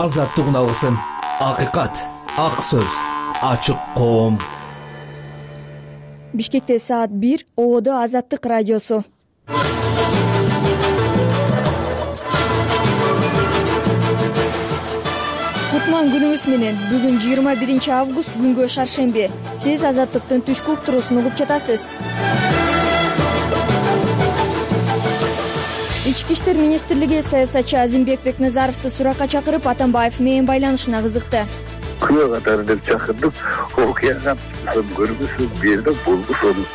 Азаттык алгысым, акыйкат, ак сөз, ачык коом. Бишкекте саат 1, ободо Азаттык радиосу. Кутман күнүңүз менен. Бүгүн 21 август, күнгө шаршемби. Сиз Азаттыктын түшкү уктуруусун угуп жатасыз. Ички иштер министрлиги саясатчы Азимбек Бекназаровду суракка чакырып, Атамбаев менен байланышына кызыкты. Күнөө катары деп чакырдык. Окуяга көргүсүз берди, болгусун.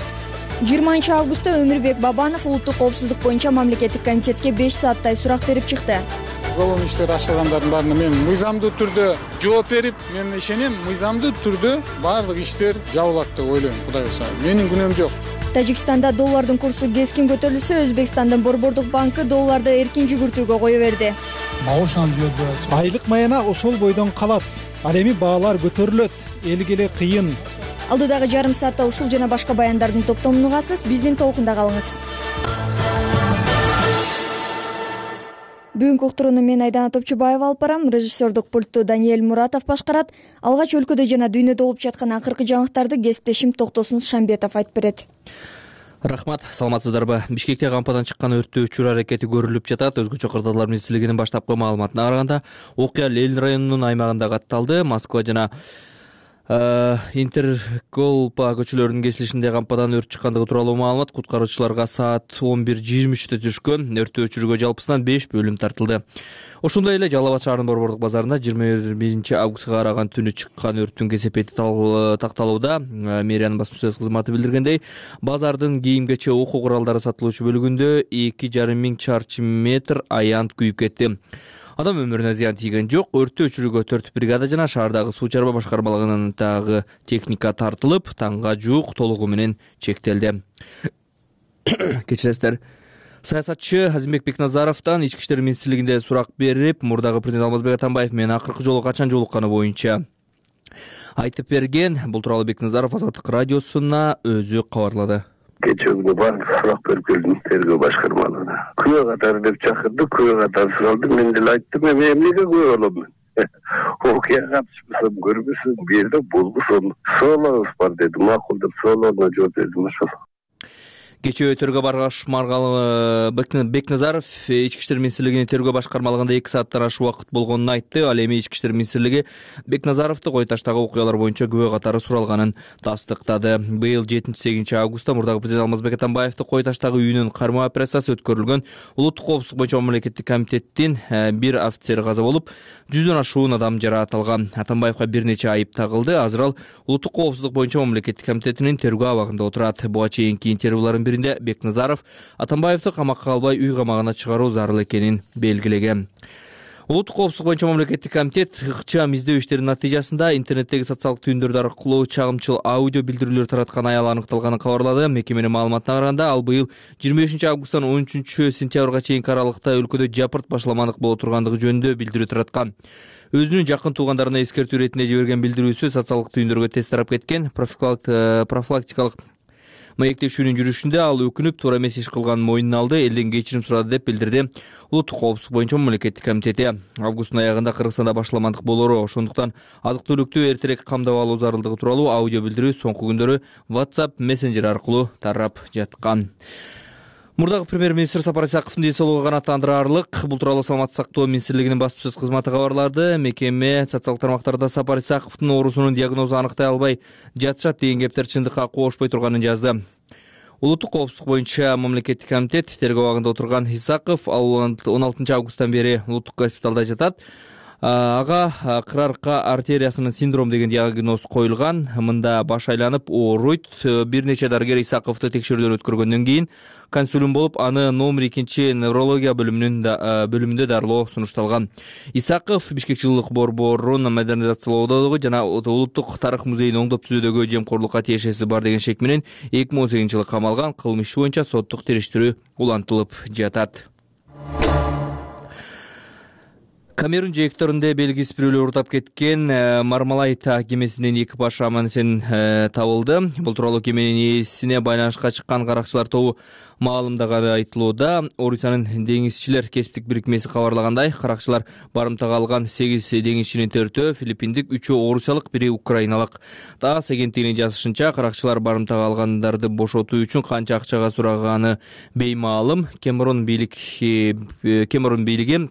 20 августта Өмүрбек Бабанов улуттук коопсуздук боюнча мамлекеттик комитетке 5 сааттай сурак берип чыкты. Голом иштер ачылгандардын баарына мен мыйзамдуу түрдө жооп берип, мен ишенем, мыйзамдуу түрдө баардык иштер жабылат деп ойлойм. Кудай буйрса, менин күнөөм жок. Тажикстанда доллардын курсу кескин көтөрүлсө, Өзбекстандын Борбордук банкы долларды эркин жүгүртүүгө кое берди. Айлык маяна ошол бойдон калат. Ал эми баалар көтөрүлөт, элге эле кыйын. Алдыдагы жарым саатта ушул жана башка баяндардын топтомун угасыз, биздин толкунда калыңыз. Бүгүнкү уктурууну мен Айдана Топчубаева алып барам. Режиссердук пультту Даниэль Муратов башкарат. Алгач өлкөдө жана дүйнөдө болуп жаткан акыркы жаңылыктарды кесиптешим Токтосун Шамбетов айтып берет. Рахмат, саламатсыздарбы? Бишкекте кампадан чыккан өрттөөчү аракети көрүлүп жатат. Өзгөчө кырдаалдар министрлигинин баштапкы маалыматына караганда, окуя Ленин районунун аймагында катталды. Москва жана Интерголпа көчөлөрүнүн кесилишинде кампадан өрт чыккандыгы тууралуу маалымат куткаруучуларга саат 11:23 түшкөн. Өрттү өчүрүүгө жалпысынан 5 бөлүм тартылды. Ошондой эле Жалал Абад шаарынын Борбордук базарында 21 августка караган түнү чыккан өрттүн кесепети такталууда. Мэриянын басма сөз кызматы билдиргендей, базардын кийим-кече окуу куралдары сатылуучу бөлүгүндө 2,5 миң чарчы метр аянт күйүп кетти. Адам өмүрүнө зыян тийген жок. Өрттү өчүрүүгө 4 бригада жана шаардагы суу чарба башкармалыгынын дагы техника тартылып, таңга жуук толугу менен чектелди. Кечиресиздер. Саясатчы Азимбек Бекназаровдон ички иштер министрлигинде сурак берип, мурдагы президент Алмазбек Атамбаев менен акыркы жолу качан жолукканы боюнча айтып берген. Бул тууралуу Бекназаров Азаттык радиосуна өзү кабарлады. Кечээ күнү баардык сурак берип келдим тергөө башкармалыгына. Күнөө катары деп чакырдык, күнөө катары суралды. Мен деле айттым, мен эмнеге күнөө болом? Окуяга катышпасам көргүсүз берди, болгусун. Соолорубуз бар деди, макул деп соолоруна жооп бердим ошол. Кечээ тергөө башкармалыгы Бекназаров ички иштер министрлигинин тергөө башкармалыгында 2 сааттан ашык убакыт болгонун айтты. Ал эми ички иштер министрлиги Бекназаровду кой таштагы окуялар боюнча күбө катары суралганын тастыктады. Быйыл 7-8 августта мурдагы президент Алмазбек Атамбаевди кой таштагы үйүнүн кармоо операциясы өткөрүлгөн. Улуттук коопсуздук боюнча мамлекеттик комитеттин бир офицери каза болуп, 100дөн ашуун адам жараат алган. Атамбаевга бир нече айып тагылды. Азыр ал улуттук коопсуздук боюнча мамлекеттик комитетинин тергөө абагында отурат. Буга чейинки интервьюлардын биринде Бекназаров Атамбаевди камакка албай үй камагына чыгаруу зарыл экенин белгилеген. Улуттук коопсуздук боюнча мамлекеттик комитет ыкчам издөө иштеринин натыйжасында интернеттеги социалдык түйүндөрдү аркылуу чагымчыл аудио билдирүүлөр тараткан аял аныкталганын кабарлады. Мекеменин маалыматына караганда, ал быйыл 25 августтан 13 сентябрга чейинки аралыкта өлкөдө жапырт башламандык боло тургандыгы жөнүндө билдирүү тараткан. Өзүнүн жакын туугандарына эскертүү иретинде жиберген билдирүүсү социалдык түйүндөргө тез тарап кеткен. Профилактикалык маектешүүнүн жүрүшүндө ал өкүнүп, туура эмес иш кылганын мойнуна алды, элден кечирим сурады деп билдирди улуттук коопсуздук боюнча мамлекеттик комитети. Августтун аягында Кыргызстанда башламандык болору, ошондуктан азык-түлүктү эртерээк камдап алуу зарылдыгы тууралуу аудио билдирүү соңку күндөрү WhatsApp мессенджер аркылуу тарап жаткан. Мурдагы премьер-министр Сапар Исаковдун ден соолугу канааттандырарлык. Бул тууралуу Саламаттык сактоо министрлигинин басма сөз кызматы кабарлады. Мекеме социалдык тармактарда Сапар Исаковдун оорусунун диагнозу аныктай албай жатышат деген кептер чындыкка кошпой турганын жазды. Улуттук коопсуздук боюнча мамлекеттик комитет тергөө абагында отурган Исаков 16 августтан бери улуттук госпиталда жатат. Ага кырарка артериясынын синдром деген диагноз коюлган. Мында баш айланып ооруйт. Бир нече дарыгер Исаковду текшерүүдөн өткөргөндөн кийин консулум болуп, аны номер 2 неврология бөлүмүндө дарылоо сунушталган. Исаков Бишкек жылуулук борборун модернизациялоодогу жана улуттук тарых музейин оңдоп түзүүдөгү жемкорлукка тиешеси бар деген шек менен 2018 жылы камалган. Кылмыш иши боюнча соттук териштирүү улантылып жатат. Камерун жээктеринде белгисиз бирөөлөр урдап кеткен Мармалайт кемесинин экипажы аман-эсен табылды. Бул тууралуу кеменин ээсине байланышка чыккан каракчылар тобу маалымдаганы айтылууда. Орусиянын деңизчилер кесиптик бирикмеси кабарлагандай, каракчылар барымтага алган 8 деңизчинин 4-өө филиппиндик, 3-өө орусиялык, 1 украиналык. ТАСС агенттигинин жазышынча, каракчылар барымтага алгандарды бошотуу үчүн канча акчага сураганы беймаалым. Камерун бийлиги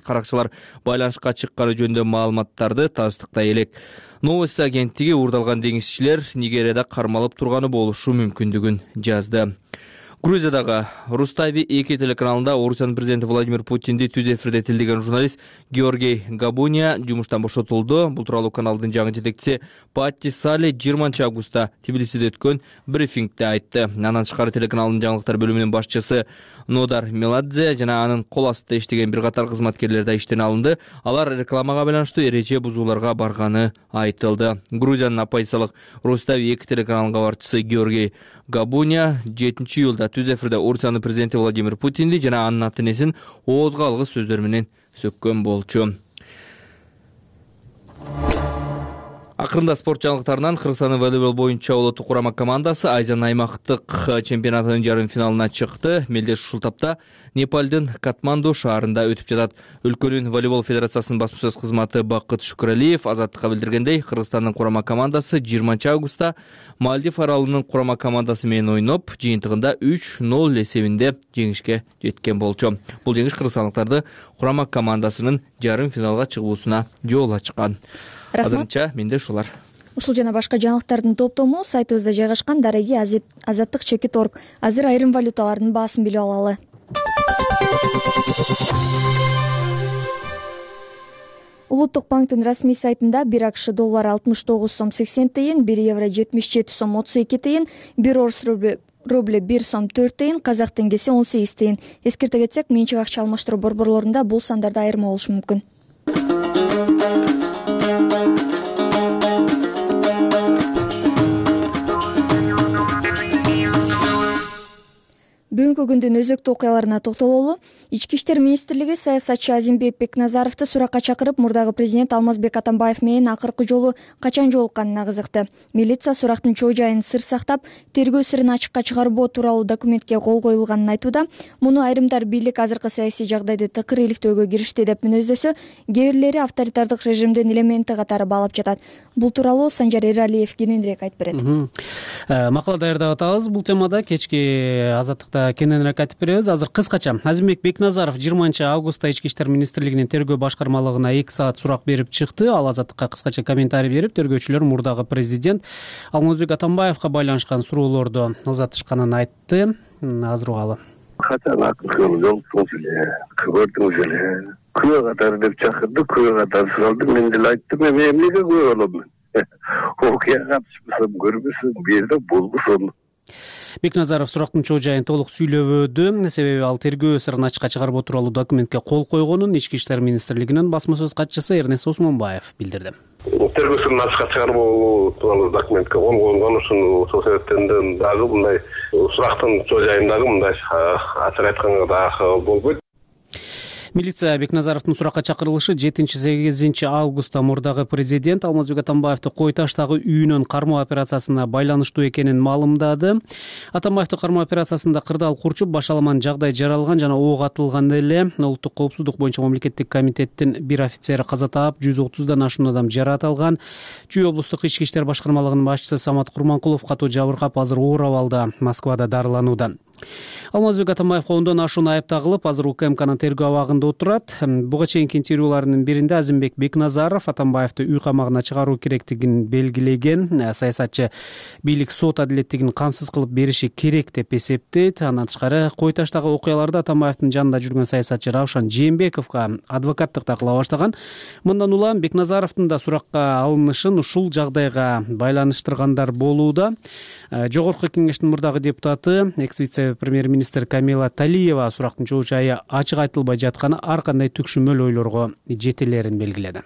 каракчылар байланышка чыкканы жөнүндө маалыматтарды тастыктай элек. Новости агенттиги уурдалган деңизчилер Нигерияда кармалып турганы болушу мүмкүндүгүн жазды. Грузиядагы Рустави 2 телеканалында Орусиянын президенти Владимир Путинди түз эфирде тилдеген журналист Георгий Габуния жумуштан бошотулду. Бул тууралуу каналдын жаңы жетекчиси Патти Сали 20 августта Тбилисиде өткөн брифингде айтты. Андан тышкары телеканалдын жаңылыктар бөлүмүнүн башчысы Нодар Меладзе жана анын кол астында иштеген бир катар кызматкерлер да иштен алынды. Алар рекламага байланыштуу эреже бузууларга барганы айтылды. Грузиянын оппозициялык Рустави 2 телеканалынын кабарчысы Георгий Габуния 7 июлда түз эфирде Орусиянын президенти Владимир Путинди жана анын ата-энесин оозго алгыс сөздөр менен сөккөн болчу. Акырында спорт жаңылыктарынан Кыргызстандын волейбол боюнча улуттук курама командасы Азия аймактык чемпионатынын жарым финалына чыкты. Мелдеш ушул тапта Непалдын Катманду шаарында өтүп жатат. Өлкөнүн волейбол федерациясынын басма-сөз кызматы Бакыт Шүкүралиев Азаттыкка билдиргендей, Кыргызстандын курама командасы 20 августта Мальдив аралынын курама командасы менен ойноп, жыйынтыгында 3-0 эсебинде жеңишке жеткен болчу. Бул жеңиш кыргызстандыктарды курама командасынын жарым финалга чыгуусуна жол ачкан. Азырынча менде ушулар. Ушул жана башка жаңылыктардын топтому сайтыбызда жайгашкан. Дареги Азаттык.org. Азыр айрым валюталардын баасын билип алалы. Улуттук банктын расмий сайтында 1 АКШ доллары 69 сом 80 тыйын, 1 евро 77 сом 32 тыйын, 1 орус рубль 1 сом 4 тыйын, казак теңгеси 18 тыйын. Эскерте кетсек, менчик акча алмаштыруу борборлорунда бул сандарда айырма болушу мүмкүн. Бүгүнкү күндүн өзөктүү окуяларына токтололу. Ички иштер министрлиги саясатчы Азимбек Бекназаровду суракка чакырып, мурдагы президент Алмазбек Атамбаев менен акыркы жолу качан жолукканына кызыкты. Милиция сурактын чоо жайын сыр сактап, тергөө сырын ачыкка чыгарбоо тууралуу документке кол коюлганын айтууда. Муну айрымдар бийлик азыркы саясий жагдайды тыкыр иликтөөгө киришти деп мүнөздөсө, кээ бирлери авторитардык режимдин элементи катары баалап жатат. Бул тууралуу Санжар Эралиев кененирээк айтып берет. Макала даярдап атабыз бул темада. Кечки Азаттыкта кененирээк айтып беребиз. Азыр кыскача Азимбек Бекназаров 20 августта Ички иштер министрлигинин тергөө башкармалыгына 2 саат сурак берип чыкты. Ал Азаттыкка кыскача комментарий берип, тергөөчүлөр мурдагы президент Алмазбек Атамбаевга байланышкан суроолорду узатышканын айтты. Азыр угалы. Качан акыл жолсуңуз эле, көрдүңүз эле. Күбө катары деп чакырды, күбө катары суралды. Мен деле айттым, мен эмнеге күбө болом? Окуяга катышпасам көрбөсүн, бу жерде болбосун. Бекназаров сурактын чоо жайын толук сүйлөбөдү. Себеби ал тергөө сырын ачыкка чыгарбоо тууралуу документке кол койгонун Ички иштер министрлигинин басма сөз катчысы Эрнест Осмонбаев билдирди. Тергөө сырын ачыкка чыгарбоо тууралуу документке кол койгон ошол себептен дагы мындай сурактын чоо жайындагы мындай ачык айтканга дагы болбойт. Милиция Бекназаровдун суракка чакырылышы 7-8 августта мурдагы президент Алмазбек Атамбаевди Кой таштагы үйүнөн кармоо операциясына байланыштуу экенин маалымдады. Атамбаевди кармоо операциясында кырдаал курчуп, башаламан жагдай жаралган жана ок атылган эле. Улуттук коопсуздук боюнча мамлекеттик комитеттин бир офицери каза таап, 130дан ашуун адам жаракат алган. Чүй облустук ички иштер башкармалыгынын башчысы Самат Курманкулов катуу жабыркап, азыр оор абалда Москвада дарыланууда. Алмазбек Атамбаевга 10дон ашуун айып тагылып, азыр УКМКнын тергөө абагында отурат. Буга чейинки интервьюларынын биринде Азимбек Бекназаров Атамбаевди үй камагына чыгаруу керектигин белгилеген. Саясатчы бийлик сот адилеттигин камсыз кылып бериши керек деп эсептейт. Андан тышкары Кой таштагы окуяларда Атамбаевдин жанында жүргөн саясатчы Равшан Жээнбековго адвокаттыкта кыла баштаган. Мындан улам Бекназаровдун да суракка алынышын ушул жагдайга байланыштыргандар болууда. Жогорку кеңештин мурдагы депутаты, экс-вице-премьер-министр Камила Талиева сурактын чоо жайы ачык айтылбай жатканы ар кандай түкшүмөл ойлорго жетелерин белгиледи.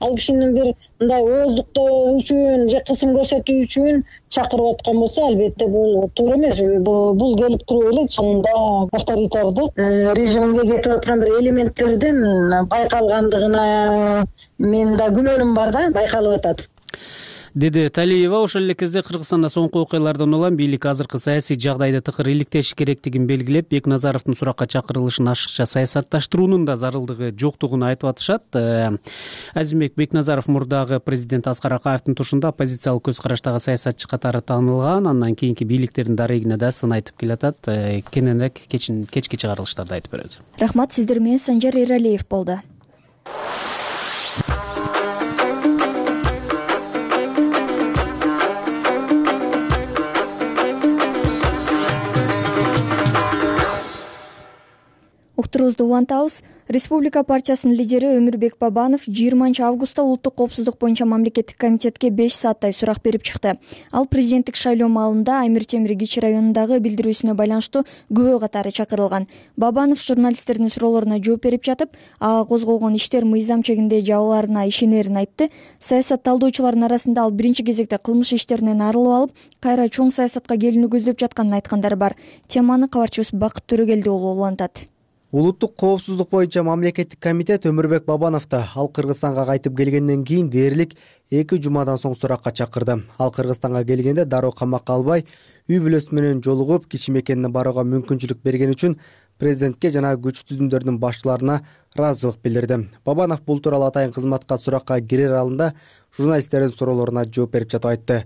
ал кишини бир мындай ооздуктоо үчүн же кысым көрсөтүү үчүн чакырып аткан болсо, албетте бул туура эмес. Бул келип туруп эле чынында авторитардык режимге кетип аткан бир элементтердин байкалгандыгына мен да күмөнүм бар да, байкалып атат, деди Талиева. Ошол эле кезде Кыргызстанда соңку окуялардан улам бийлик азыркы саясий жагдайды тыкыр иликтеши керектигин белгилеп, Бекназаровдун суракка чакырылышын ашыкча саясатташтыруунун да зарылдыгы жоктугун айтып атышат. Азимбек Бекназаров мурдагы президент Аскар Акаевдин тушунда оппозициялык көз караштагы саясатчы катары таанылган, андан кийинки бийликтердин дарегине да сын айтып келатат. Кененирээк кечки чыгарылыштарды айтып берет. Рахмат, сиздер менен Санжар Эралиев болду. Уктуруубузду улантабыз. Республика партиясынын лидери Өмүрбек Бабанов 20-августта улуттук коопсуздук боюнча мамлекеттик комитетке 5 сааттай сурак берип чыкты. Ал президенттик шайлоо маалында Амир Темир Кичи районундагы билдирүүсүнө байланыштуу күбө катары чакырылган. Бабанов журналисттердин суроолоруна жооп берип жатып, ага козголгон иштер мыйзам чегинде жабыларына ишенерин айтты. Саясатталдоочулардын арасында ал биринчи кезекте кылмыш иштеринен арылып алып, кайра чоң саясатка келүүнү көздөп жатканын айткандар бар. Теманы кабарчыбыз Бакыт Төрөгелди уулу улантат. Улуттук коопсуздук боюнча мамлекеттик комитет Өмүрбек Бабановду ал Кыргызстанга кайтып келгенден кийин дээрлик 2 жумадан соң суракка чакырды. Ал Кыргызстанга келгенде дароо камакка албай, үй бүлөсү менен жолугуп, кичи мекенине барууга мүмкүнчүлүк берген үчүн президентке жана күч түзүмдөрдүн башчыларына ыраазычылык билдирди. Бабанов бул тууралуу атайын кызматка суракка кирер алдында журналисттердин суроолоруна жооп берип жатып айтты.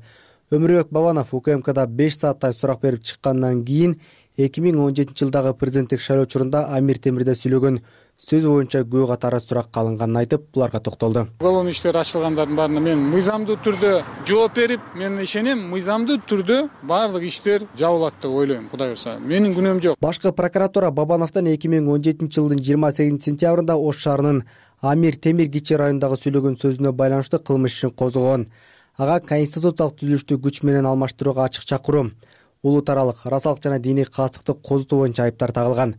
Өмүрбек Бабанов УКМКда 5 сааттай сурак берип чыккандан кийин 2017 жылдагы президенттик шайлоо учурунда Амир Темирде сүйлөгөн сөзү боюнча күбө катары суракка алынганын айтып, буларга токтолду. Уголовный иштер ачылгандардын баарына мен мыйзамдуу түрдө жооп берип, мен ишенем, мыйзамдуу түрдө баардык иштер жабылат деп ойлойм. Кудай урса, менин күнөөм жок. Башкы прокуратура Бабановдон 2017 жылдын 28 сентябрында Ош шаарынын Амир Темир Кичи районундагы сүйлөгөн сөзүнө байланыштуу кылмыш ишин козгогон. Ага конституциялык түзүлүштү күч менен алмаштырууга ачык чакыруу, улут аралык расалык жана диний кастыкты козутуу боюнча айыптар тагылган.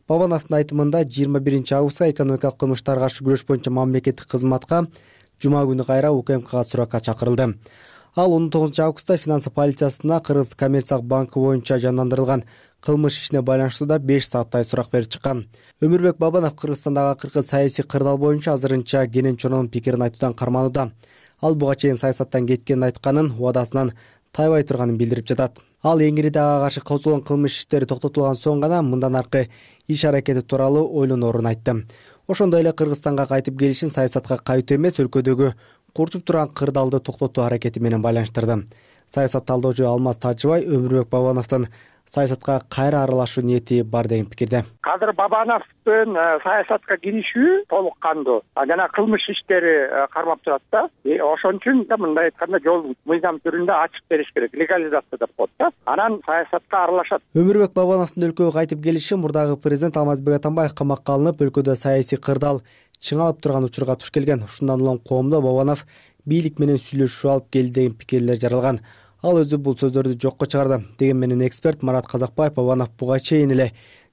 Бабановдун айтымында 21-августка экономикалык кылмыштарга каршы күрөш боюнча мамлекеттик кызматка жума күнү кайра УКМКга суракка чакырылды. Ал 19-августта финансы полициясына Кыргыз коммерциялык банкы боюнча жандандырылган кылмыш ишине байланыштуу да 5 сааттай сурак берип чыккан. Өмүрбек Бабанов Кыргызстандагы акыркы саясий кырдаал боюнча азырынча кенен чононун пикирин айтуудан карманууда. Ал буга чейин саясаттан кеткенин айтканын, убадасынан тайбай турганын билдирип жатат. Ал Эңириде ага каршы козголгон кылмыш иштери токтотулган соң гана мындан аркы иш аракети тууралуу ойлоноорун айтты. Ошондой эле Кыргызстанга кайтып келишин саясатка кайтуу эмес, өлкөдөгү курчуп турган кырдаалды токтотуу аракети менен байланыштырды. Саясат талдоочу Алмаз Тажыбай Өмүрбек Бабановдун саясатка кайра аралашуу ниети бар деген пикирде. Азыр Бабановдун саясатка киришүү толук кандуу жана кылмыш иштери кармап турат да. Ошон үчүн да мындай айтканда жол мыйзам түрүндө ачык бериш керек, легализация деп коет да. Анан саясатка аралашат. Өмүрбек Бабановдун өлкөгө кайтып келиши мурдагы президент Алмазбек Атамбаев камакка алынып, өлкөдө саясий кырдаал чыңалып турган учурга туш келген. Ушундан улам коомдо Бабанов бийлик менен сүйлөшүп алып келди деген пикирлер жаралган. Ал өзү бул сөздөрдү жокко чыгарды. Деген менен эксперт Марат Казакбаев Бабанов буга чейин эле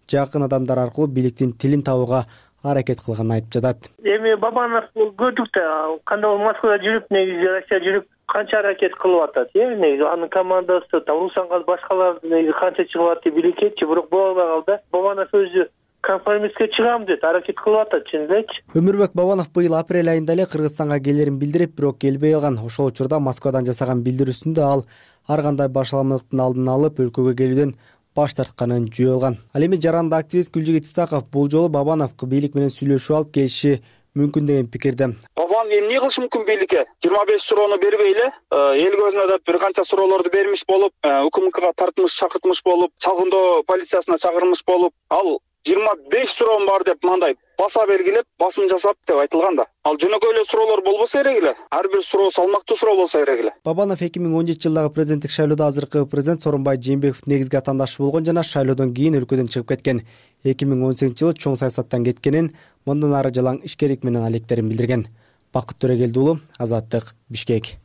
жакын адамдар аркылуу бийликтин тилин табууга аракет кылганын айтып жатат. Эми Бабанов көрдүк да, кандай Москвада жүрүп, негизи Россияда жүрүп канча аракет кылып атат. Негизи анын командасы, Русанга башкалар негизи канча чыгып атты бийликкечи, бирок боло албай калды. Бабанов өзү конформистке чыгам деп аракет кылып атат, чын элекчи. Өмүрбек Бабанов быйыл апрель айында эле Кыргызстанга келерин билдирип, бирок келбей калган. Ошол учурда Москвадан жасаган билдирүүсүндө ал ар кандай башаламдыктын алдын алып, өлкөгө келүүдөн баш тартканын жөө алган. Ал эми жаранды активист Гүлжигит Исаков бул жолу Бабанов бийлик менен сүйлөшүп алып келиши мүмкүн деген пикирде. Бабанов эмне кылышы мүмкүн бийликке? 25 суроону бербей эле эл көзүнө деп бир канча суроолорду бермиш болуп, УКМКга тартмыш, чакыртмыш болуп, чалгындоо полициясына чакырмыш болуп, ал 25 суроом бар деп мындай баса белгилеп, басым жасап деп айтылган да. Ал жөнөкөй эле суроолор болбосо керек эле. Ар бир суроо салмактуу суроо болсо керек эле. Бабанов 2017 жылдагы президенттик шайлоодо азыркы президент Сооронбай Жээнбековдун негизги атаандашы болгон жана шайлоодон кийин өлкөдөн чыгып кеткен. 2018 жылы чоң саясаттан кеткенин, мындан ары жалаң ишкерлик менен алектерин билдирген. Бакыт Төрөгелди уулу, Азаттык, Бишкек.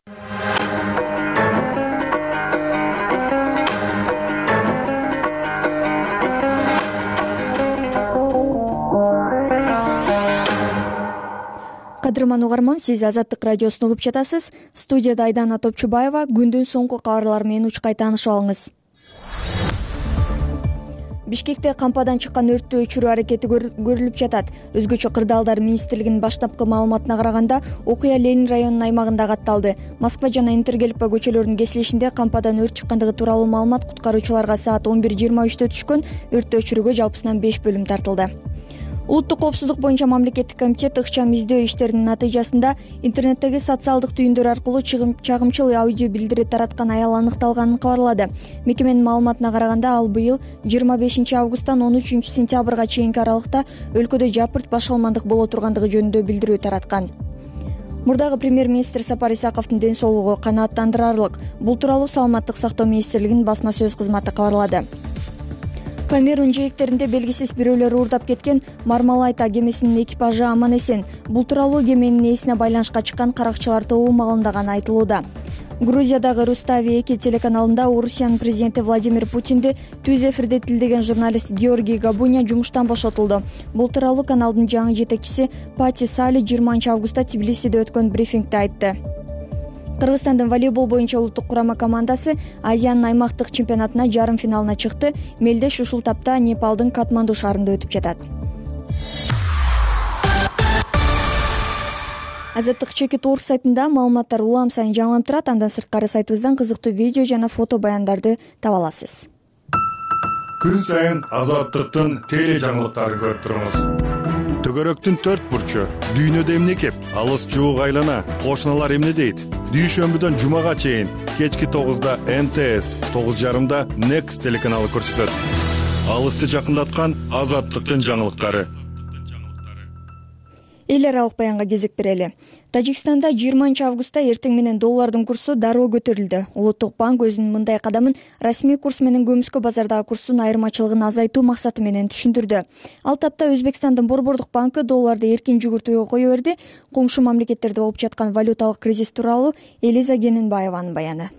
Кадырман угарман, сиз Азаттык радиосун угуп жатасыз. Студияда Айдана Топчубаева. Күндүн соңку кабарлары менен учкай таанышып алыңыз. Бишкекте кампадан чыккан өрттү өчүрүү аракети көрүлүп жатат. Өзгөчө кырдаалдар министрлигинин баштапкы маалыматына караганда, окуя Ленин районунун аймагында катталды. Москва жана Интергелпа көчөлөрүнүн кесилишинде кампадан өрт чыккандыгы тууралуу маалымат куткаруучуларга саат 11:23 түшкөн. Өрттү өчүрүүгө жалпысынан 5 бөлүм тартылды. Улуттук коопсуздук боюнча мамлекеттик комитет ыкчам издөө иштеринин натыйжасында интернеттеги социалдык түйүндөр аркылуу чагымчыл аудио билдири тараткан аял аныкталганын кабарлады. Мекеменин маалыматына караганда, ал быйыл 25 августтан 13 сентябрга чейинки аралыкта өлкөдө жапырт башалмандык боло тургандыгы жөнүндө билдирүү тараткан. Мурдагы премьер-министр Сапар Исаковдун ден соолугу канааттандырарлык. Бул тууралуу Саламаттык сактоо министрлигинин басма сөз кызматы кабарлады. Камерун жээктеринде белгисиз бирөөлөр уурдап кеткен Мармалайта кемесинин экипажы аман эсен. Бул тууралуу кеменин ээсине байланышка чыккан каракчылар тобу маалымдаганы айтылууда. Грузиядагы Рустави-2 телеканалында Орусиянын президенти Владимир Путинди түз эфирде тилдеген журналист Георгий Габуня жумуштан бошотулду. Бул тууралуу каналдын жаңы жетекчиси Пати Сали 20 августта Тбилисиде өткөн брифингде айтты. Кыргызстандын волейбол боюнча улуттук курама командасы Азиянын аймактык чемпионатына жарым финалына чыкты. Мелдеш ушул тапта Непалдын Катманду шаарында өтүп жатат. Азаттык Чекит.орг сайтында маалыматтар улам сайын жаңыланып турат. Андан сырткары сайтыбыздан кызыктуу видео жана фото баяндарды таба аласыз. Күн сайын Азаттыктын теле жаңылыктарын көрүп туруңуз. Төгөрөктүн 4 бурчу, дүйнөдө эмне кеп, алыс жуук айлана, кошуналар эмне дейт? Дүйшөмбүдөн жумага чейин кечки 9да НТС, 9:30да Next телеканалы көрсөтөт. Алысты жакындаткан Азаттыктын жаңылыктары. Эл аралык баянга кезек берели. Тажикстанда 20 августта эртең менен доллардын курсу дароо көтөрүлдү. Улуттук банк өзүнүн мындай кадамын расмий курс менен көмүскө базардагы курстун айырмачылыгын азайтуу максаты менен түшүндүрдү. Ал тапта Өзбекстандын Борбордук банкы долларды эркин жүгүртүүгө кое берди. Коңшу мамлекеттерде болуп жаткан валюталык кризис тууралуу Элиза Гененбаеванын баяны.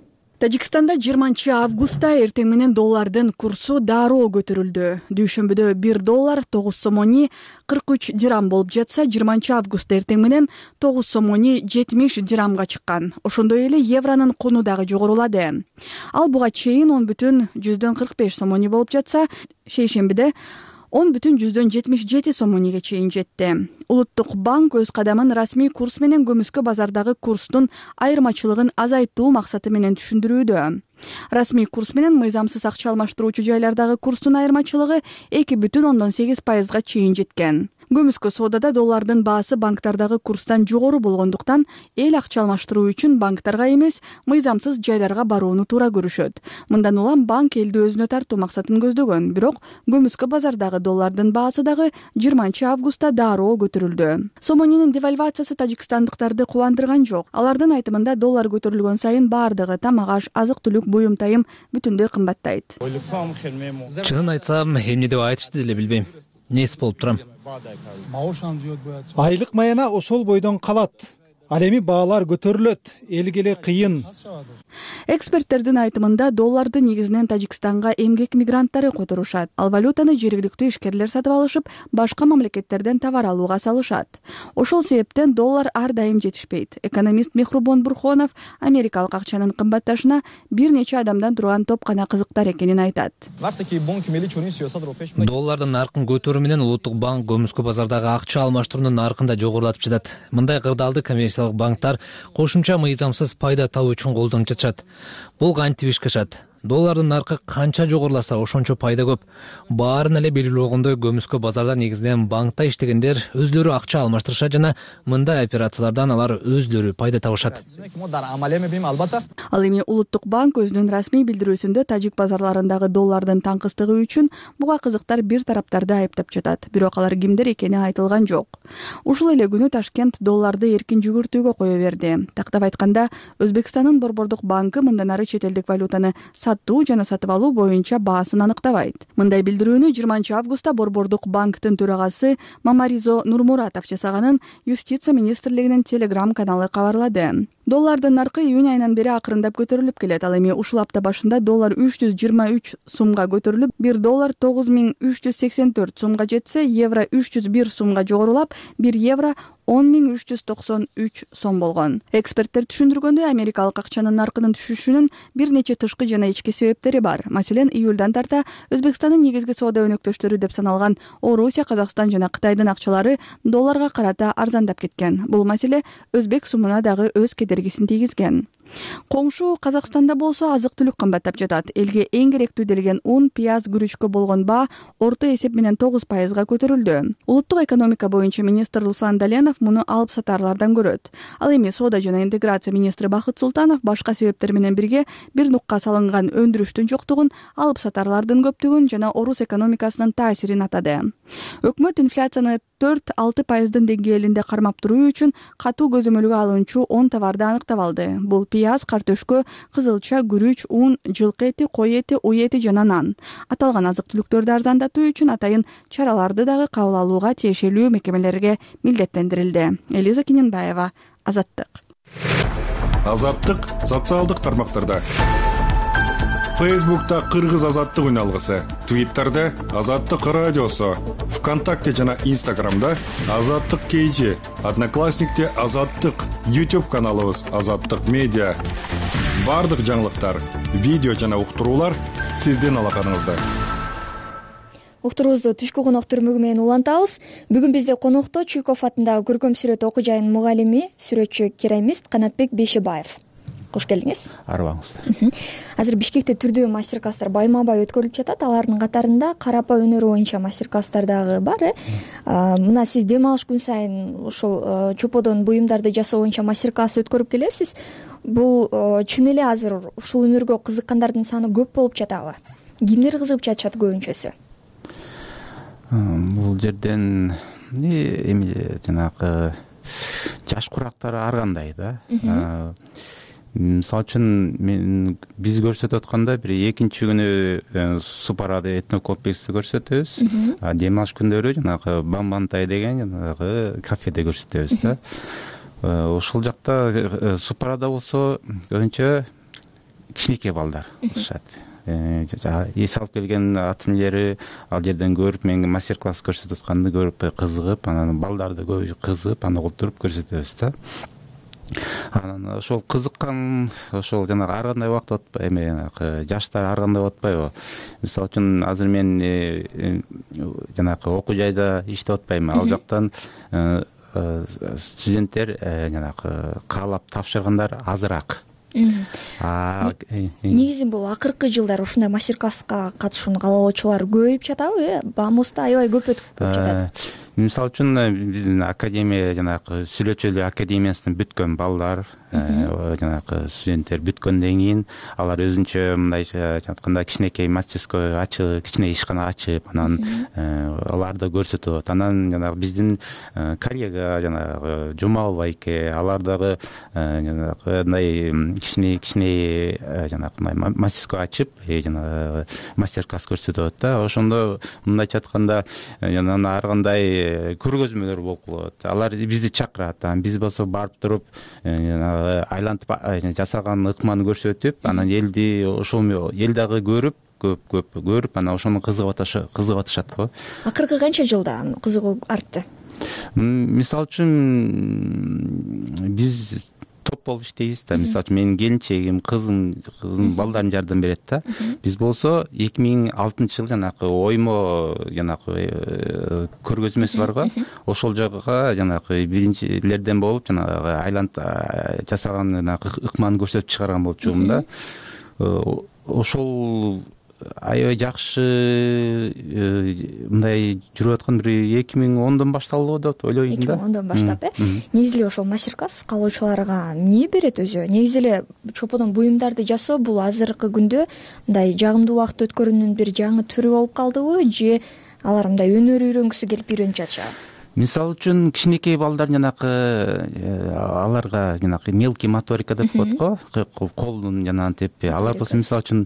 Тажикстанда 20 августта эртең менен доллардын курсу дароо көтөрүлдү. Дүйшөмбүдө 1 доллар 9 сомони 43 дирам болуп жатса, 20 августта эртең менен 9 сомони 70 дирамга чыккан. Ошондой эле евронун куну дагы жогорулады. Ал буга чейин 10,45 сомони болуп жатса, шейшембиде 10,77 сомониге чейин жетти. Улуттук банк өз кадамын расмий курс менен көмүскө базардагы курстун айырмачылыгын азайтуу максаты менен түшүндүрүүдө. Расмий курс менен мыйзамсыз акча алмаштыруучу жайлардагы курстун айырмачылыгы 2,8%га чейин жеткен. Көмүскө соодада доллардын баасы банктардагы курстан жогору болгондуктан эл акча алмаштыруу үчүн банктарга эмес, мыйзамсыз жайларга барууну туура көрүшөт. Мындан улам банк элди өзүнө тартуу максатын көздөгөн, бирок көмүскө базардагы доллардын баасы дагы 20 августта дароо көтөрүлдү. Сомонинин девальвациясы тажикстандыктарды кубандырган жок. Алардын айтымында доллар көтөрүлгөн сайын баардыгы тамак-аш, азык-түлүк, буюм-тайым бүтүндөй кымбаттайт. Чынын айтсам, эмне деп айтышты деле билбейм. Нес болуп турам. Айлык маяна ошол бойдон калат. Ал эми баалар көтөрүлөт, элге эле кыйын. Эксперттердин айтымында долларды негизинен Тажикстанга эмгек мигранттары которушат. Ал валютаны жергиликтүү ишкерлер сатып алышып, башка мамлекеттерден товар алууга салышат. Ошол себептен доллар ар дайым жетишпейт. Экономист Мехрубон Бурхонов америкалык акчанын кымбатташына бир нече адамдан турган топ гана кызыктар экенин айтат. Доллардын наркын көтөрүү менен улуттук банк көмүскө базардагы акча алмаштыруунун наркын да жогорулатып жатат. Мындай кырдаалды коммерциялык банктар кошумча мыйзамсыз пайда табуу үчүн колдонуп жатышат. Бул кантип ишке ашат? Доллардын наркы канча жогоруласа, ошончо пайда көп. Баарын эле белгилүү болгондой, көмүскө базарда негизинен банкта иштегендер өзлөрү акча алмаштырышат жана мындай операциялардан алар өзлөрү пайда табышат. Ал эми улуттук банк өзүнүн расмий билдирүүсүндө тажик базарларындагы доллардын таңкыстыгы үчүн буга кызыктар бир тараптарды айыптап жатат. Бирок алар кимдер экени айтылган жок. Ушул эле күнү Ташкент долларды эркин жүгүртүүгө кое берди. Тактап айтканда, Өзбекстандын Борбордук банкы мындан ары чет элдик валютаны сатуу жана сатып алуу боюнча баасын аныктабайт. Мындай билдирүүнү 20 августта Борбордук банктын төрагасы Мамаризо Нурмуратов жасаганын Юстиция министрлигинин Телеграм каналы кабарлады. Доллардын наркы июнь айынан бери акырындап көтөрүлүп келет. Ал эми ушул апта башында доллар 323 сумга көтөрүлүп, 1 доллар 9384 сумга жетсе, евро 301 сумга жогорулап, 1 евро 10393 сом болгон. Эксперттер түшүндүргөндөй, америкалык акчанын наркынын түшүшүнүн бир нече тышкы жана ички себептери бар. Маселен, июлдан тарта Өзбекстандын негизги соода өнөктөштөрү деп саналган Орусия, Казакстан жана Кытайдын акчалары долларга карата арзандап кеткен. Бул маселе өзбек сумуна дагы өз кедергисин тийгизген. Коңшу Казакстанда болсо азык-түлүк кымбаттап жатат. Элге эң керектүү делген ун, пияз, күрүчкө болгон баа орто эсеп менен 9% көтөрүлдү. Улуттук экономика боюнча министр Руслан Даленов муну алып сатарлардан көрөт. Ал эми соода жана интеграция министри Бакыт Султанов башка себептер менен бирге бир нукка салынган өндүрүштүн жоктугун, алып сатарлардын көптүгүн жана орус экономикасынын таасирин атады. Өкмөт инфляцияны 4-6% деңгээлинде кармап туруу үчүн катуу көзөмөлгө алынчу 10 товарды аныктап алды. Бул пияз, картөшкө, кызылча, күрүч, ун, жылкы эти, кой эти, уй эти жана нан. Аталган азык-түлүктөрдү арзандатуу үчүн атайын чараларды дагы кабыл алууга тиешелүү мекемелерге милдеттендирилди. Элиза Киненбаева, Азаттык. Азаттык социалдык тармактарда. Фейсбукта Кыргыз азаттык үналгысы, Твиттерде Азаттык радиосу, ВКонтакте жана Инстаграмда Азаттык KG, Одноклассникте Азаттык, YouTube каналыбыз Азаттык медиа. Бардык жаңылыктар, видео жана уктуруулар сиздин алаканыңызда. Уктуруубузду түшкү конок түрмөгү менен улантабыз. Бүгүн бизде конокто Чуйков атындагы көркөм сүрөт окуу жайынын мугалими, сүрөтчү, керамист Канатбек Бейшебаев. Кош келдиңиз. Арыбаңыздар. Азыр Бишкекте түрдүү мастер-класстар байма-бай өткөрүлүп жатат. Алардын катарында карапа өнөрү боюнча мастер-класстар дагы бар. Мына сиз дем алыш күн сайын ушул чоподон буюмдарды жасоо боюнча мастер-класс өткөрүп келесиз. Бул чын эле азыр ушул өнөргө кызыккандардын саны көп болуп жатабы? Кимдер кызыгып жатышат көбүнчөсү? Бул жерден эми жанагы жаш курактар ар кандай да. Мисалы үчүн биз көрсөтүп атканда бир экинчи күнү Супарады этнокомплексти көрсөтөбүз. Дем алыш күндөрү жанагы Бамбантай деген жанагы кафеде көрсөтөбүз да. Ушул жакта Супарада болсо көбүнчө кичинекей балдар кылышат. Эс алып келген ата энелери ал жерден көрүп, мен мастер-класс көрсөтүп атканды көрүп кызыгып, анан балдарды көбү кызыгып, аны олтуруп көрсөтөбүз да. Анан ошол кызыккан, ошол жанагы ар кандай убакыт атпай, эми жаштар ар кандай атпайбы. Мисалы үчүн азыр мен жанагы окуу жайда иштеп атпайм. Ал жактан студенттер жанагы каалап тапшыргандар азыраак. Негизи бул акыркы жылдары ушундай мастер-класска катышууну каалоочулар көбөйүп жатабы? Баамызда аябай көп өтүп жатат. Мисалы үчүн биздин академия жанагы сүйлөчүлүк академиясын бүткөн балдар, жанагы студенттер бүткөндөн кийин алар өзүнчө мындай айтканда кичинекей мастерской ачып, кичине ишкана ачып, анан аларды көрсөтөт. Анан жанагы биздин коллега жанагы Жумал байке, алар дагы жанагы мындай кичине жанагы мастерской ачып, жанагы мастер-класс көрсөтөт да. Ошондо мындайча айтканда анан ар кандай көргөзмөлөр болуп калат. Алар бизди чакырат. Биз болсо барып туруп айлантып жасаган ыкманы көрсөтүп, анан элди ошол эл дагы көрүп, көп көрүп, анан ошону кызыгып атышат го. Акыркы канча жылда кызыгуу артты? Мисалы үчүн биз топ болуп иштейбиз да. Мисалы үчүн менин келинчегим, кызым балдарым жардам берет да. Биз болсо 2006-жылы жанагы оймо жанагы көргөзмөсү бар го. Ошол жакка жанагы биринчилерден болуп жанагы айлант жасаган ыкманы көрсөтүп чыгарган болчумун да. Ошол аябай жакшы мындай жүрүп аткан бир 2010дон башталды деп ойлойм да. 2010дон баштап, негизи эле ошол мастер-класс каалоочуларга эмне берет өзү? Негизи эле чоподон буюмдарды жасоо бул азыркы күндө мындай жагымдуу убакыт өткөрүүнүн бир жаңы түрү болуп калдыбы, же алар мындай өнөр үйрөнгүсү келип үйрөнүп жатышабы? Мисалы үчүн кичинекей балдар жанагы аларга жанагы мелкий моторика деп коет го, колдун жанагы алар болсо мисалы үчүн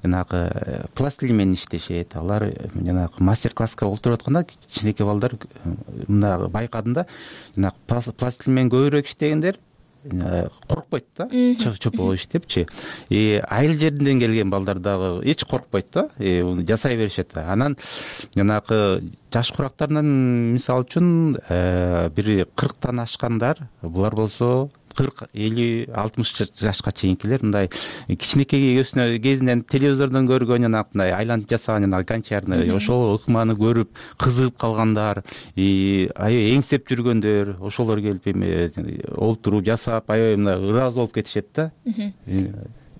жанагы пластилин менен иштешет. Алар жанагы мастер-класска олтуруп атканда кичинекей балдар мына байкадым да, жанагы пластилин менен көбүрөөк иштегендер коркпойт да чопо иштепчи. Айыл жеринен келген балдар дагы эч коркпойт да, жасай беришет. Анан жанагы жаш курактарынан мисалы үчүн бир 40тан ашкандар, булар болсо 40, 50, 60 жашка чейинкилер мындай кичинекей кезинен телевизордон көргөн жанагындай айланып жасаган жанагы гончарный ошол ыкманы көрүп кызыгып калгандар, аябай эңсеп жүргөндөр, ошолор келип эме олтуруп жасап аябай мындай ыраазы болуп кетишет да.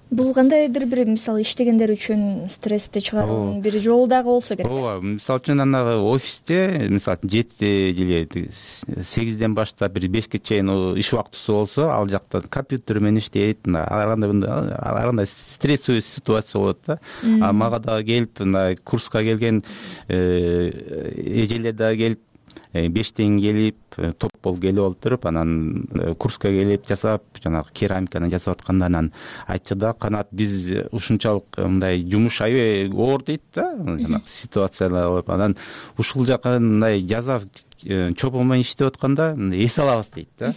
Бул кандайдыр бир мисалы иштегендер үчүн стрессти чыгаруунун бир жолу дагы болсо керек. Ооба, мисалы үчүн анагы офисте мисалы 7 или 8ден баштап бир 5ке чейин иш убактысы болсо, ал жакта компьютер менен иштейт, ар кандай стрессовый ситуация болот да. Мага дагы келип мындай курска келген эжелер дагы келип 5тен келип топ болуп келип олтуруп, анан курска келип жасап, жанагы керамиканы жасап атканда анан айтчу да, канат биз ушунчалык мындай жумуш аябай оор дейт да, жанагы ситуациялар болуп, анан ушул жака мындай жаза чопо менен иштеп атканда эс алабыз дейт да.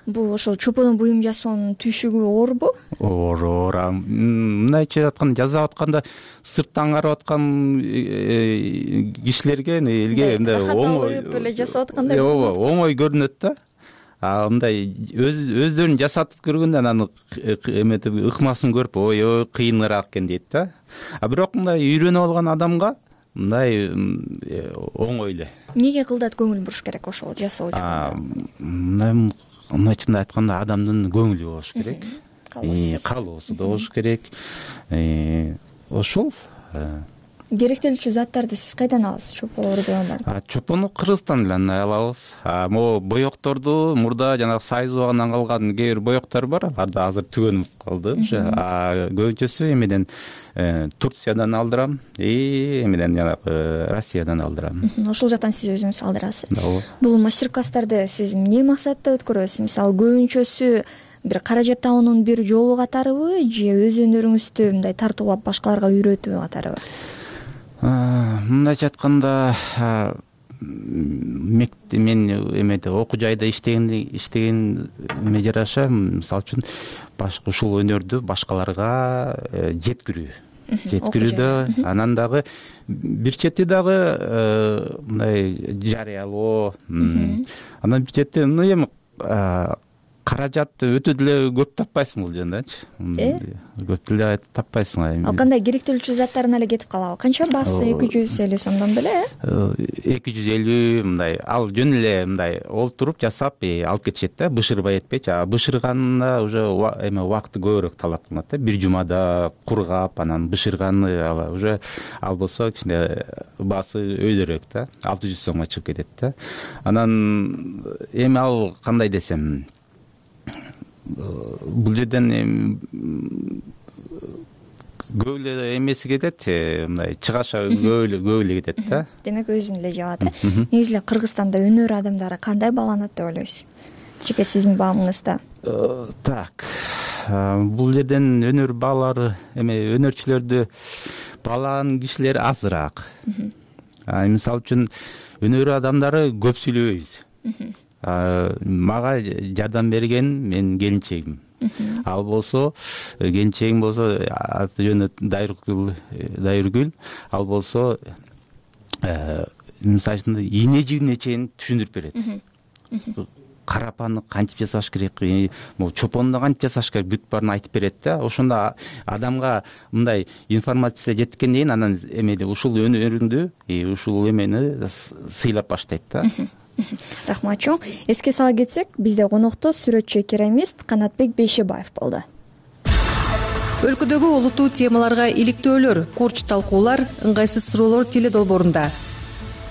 Бул ошол чоподон буюм жасоонун түйшүгү оорбу? Оор. Мындайча айтканда, жасап атканда сырттан карап аткан кишилерге элге мындай оңой эле жасап аткандай. Ооба, оңой көрүнөт да. Мындай өздөрүн жасатып көргөндө анан эметип ыкмасын көрүп, ой, кыйыныраак экен дейт да. Бирок мындай үйрөнүп алган адамга мындай оңой эле. Эмнеге кылдат көңүл буруш керек ошол жасоо үчүн? Мындайча айтканда адамдын көңүлү болуш керек, каалоосу да болуш керек. Ошол керектелүүчү заттарды сиз кайдан аласыз? Чополорду чопону Кыргызстандан алабыз. Могу боекторду мурда жанагы Союз убагынан калган кээ бир боектор бар, алар да азыр түгөнүп калды. Көбүнчөсү эмеден Турциядан алдырам, эмеден жанагы Россиядан алдырам. Ошол жактан сиз өзүңүз алдырасыз. Бул мастер-класстарды сиз эмне максатта өткөрөсүз? Мисалы, көбүнчөсү бир каражат табуунун бир жолу катарыбы, же өз өнөрүңүздү мындай тартуулап башкаларга үйрөтүү катарыбы? Мындайча айтканда, мен эмеде окуу жайда иштегенме жараша, мисалы үчүн ушул өнөрдү башкаларга жеткирүүдө, анан дагы бир чети дагы мындай жарыялоо, анан бир чети эми каражатты өтө деле көп таппайсың бул жердечи. Көп деле таппайсың. Ал кандай керектелүүчү заттарын эле кетип калабы? Канча басы? 250 сомдон беле? 250 мындай. Ал жөн эле мындай олтуруп жасап алып кетишет да, бышырбай этпейчи. Бышырганда уже эме убакыты көбүрөөк талап кылынат да. Бир жумада кургап, анан бышырганы уже ал болсо кичине басы өйдөрөөк да. 600 сомго чыгып кетет да. Анан эми ал кандай десем, бул жерден көп эле эмеси кетет, мындай чыгаша көп эле кетет да. Демек өзүн эле жабат. Негизи эле Кыргызстанда өнөр адамдары кандай бааланат деп ойлойсуз? Жеке сиздин баамыңызда. Так. Бул жерден өнөр баалары, өнөрчүлөрдү баалаган кишилер азыраак. Мисалы үчүн өнөр адамдары көп сүйлөбөйбүз. Мага жардам берген менин келинчегим. Ал болсо, келинчегим болсо аты жөнү Дайыргүл, ал болсо мисалы үчүн ийне жигине чейин түшүндүрүп берет. Карапаны кантип жасаш керек, чопонду кантип жасаш керек, бүт баарын айтып берет да. Ошондо адамга мындай информация жеткенден кийин анан эмеде ушул өнөрүңдү, ушул эмени сыйлап баштайт да. Рахмат чоң. Эске сала кетсек, бизде конокто сүрөтчү керамист Канатбек Бейшебаев болду. Өлкөдөгү олуттуу темаларга иликтөөлөр, курч талкуулар, ыңгайсыз суроолор теле долбоорунда.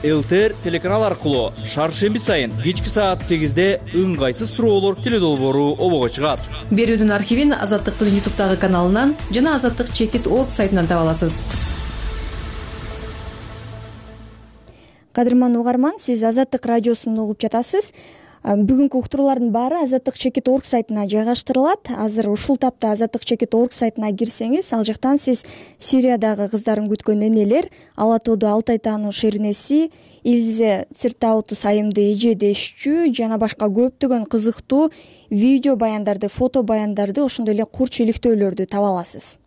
ЛТР телеканал аркылуу шаршемби сайын кечки саат 8-де ыңгайсыз суроолор теле долбоору обого чыгат. Берүүдүн архивин Азаттыктын YouTube'дагы каналынан жана azаттык.org сайтынан таба аласыз. Кадырман угарман, сиз Азаттык радиосун угуп жатасыз. Бүгүнкү уктуруулардын баары Азаттык чекит орг сайтына жайгаштырылат. Азыр ушул тапта Азаттык чекит орг сайтына кирсеңиз, ал жактан сиз Сириядагы кыздарын күткөн энелер, Ала тоодо Алтай таануу шернеси, Илзе Циртаутус айымды эже дешчү жана башка көптөгөн кызыктуу видео баяндарды, фото баяндарды, ошондой эле курч иликтөөлөрдү таба аласыз.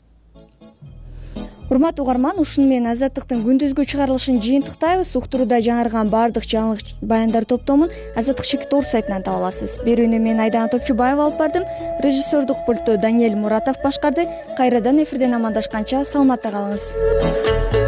Урматтуу угарман, ушуну менен Азаттыктын күндүзгү чыгарылышын жыйынтыктайбыз. Уктурууда жаңырган баардык жаңылык баяндар топтомун Азаттык чекит орг сайтынан таба аласыз. Берүүнү мен Айдана Топчубаева алып бардым. Режиссердук пультту Даниэль Муратов башкарды. Кайрадан эфирден амандашканча саламатта калыңыз.